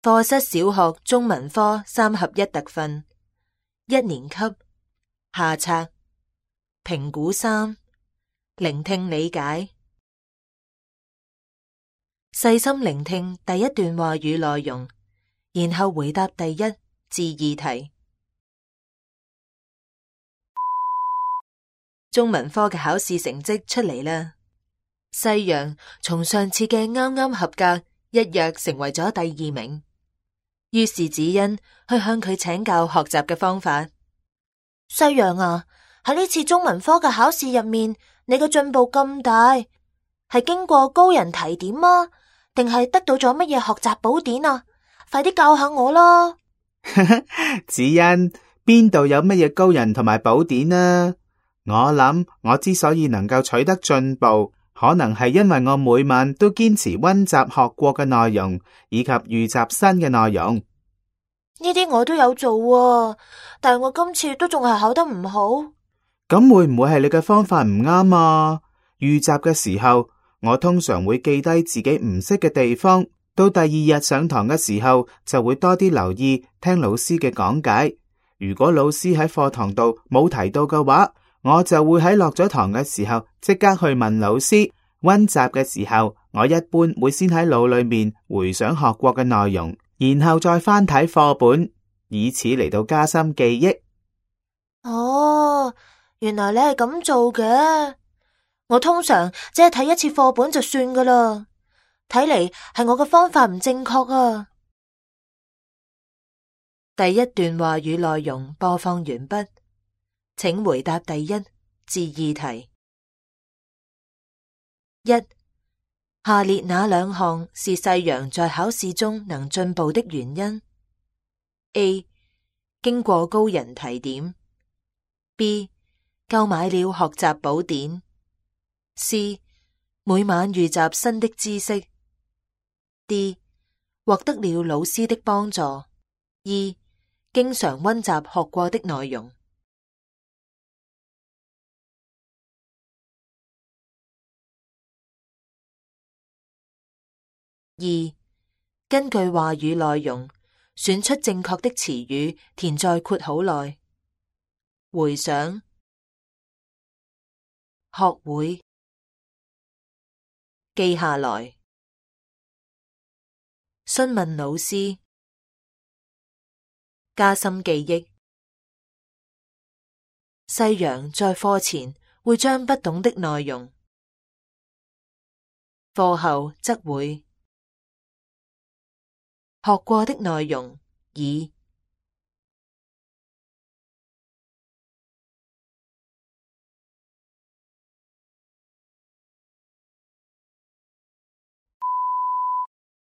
課室小學中文科3合1特訓，1年級下冊評估3，聆聽理解。細心聆聽第一段話語內容，然後回答第1至2題。中文科嘅考試成績出嚟啦，西洋從上次嘅啱啱合格一躍成為咗第2名。於是子欣去向佢請教學習嘅方法。西洋啊，喺呢次中文科嘅考試入面，你嘅進步咁大，係經過高人提點啊，定係得到咗乜嘢學習寶典啊？快啲教下我啦！子欣，邊度有乜嘢高人同埋寶典啊？我諗我之所以能夠取得進步，可能係因為我每晚都堅持溫習學過嘅內容，以及預習新嘅內容。呢啲我都有做啊，但係我今次都仲係考得唔好。咁會唔會係你嘅方法唔啱啊？預習嘅時候，我通常會記低自己唔識嘅地方，到第2日上堂嘅時候就會多啲留意聽老師嘅講解。如果老師喺課堂度冇提到嘅話，我就會喺落咗堂嘅時候即刻去問老師。溫習嘅時候，我一般會先喺腦裏面回想學過嘅內容，然後再翻睇課本，以此嚟到加深記憶。哦，原來你係咁做嘅。我通常只係睇一次課本就算噶啦。睇嚟係我嘅方法唔正確啊。第1段話語內容播放完畢，請回答第1至2題。1. 下列哪2項是細羊在考試中能進步的原因？ A. 經過高人提點。 B. 購買了學習寶典。 C. 每晚預習新的知識。 D. 獲得了老師的幫助。 E. 經常溫習學過的內容。2. 根據話語內容，選出正確的詞語，填在括號內。回想、學會、記下來、詢問老師、加深記憶。西洋在課前會將不懂的內容，課後則會學過的內容已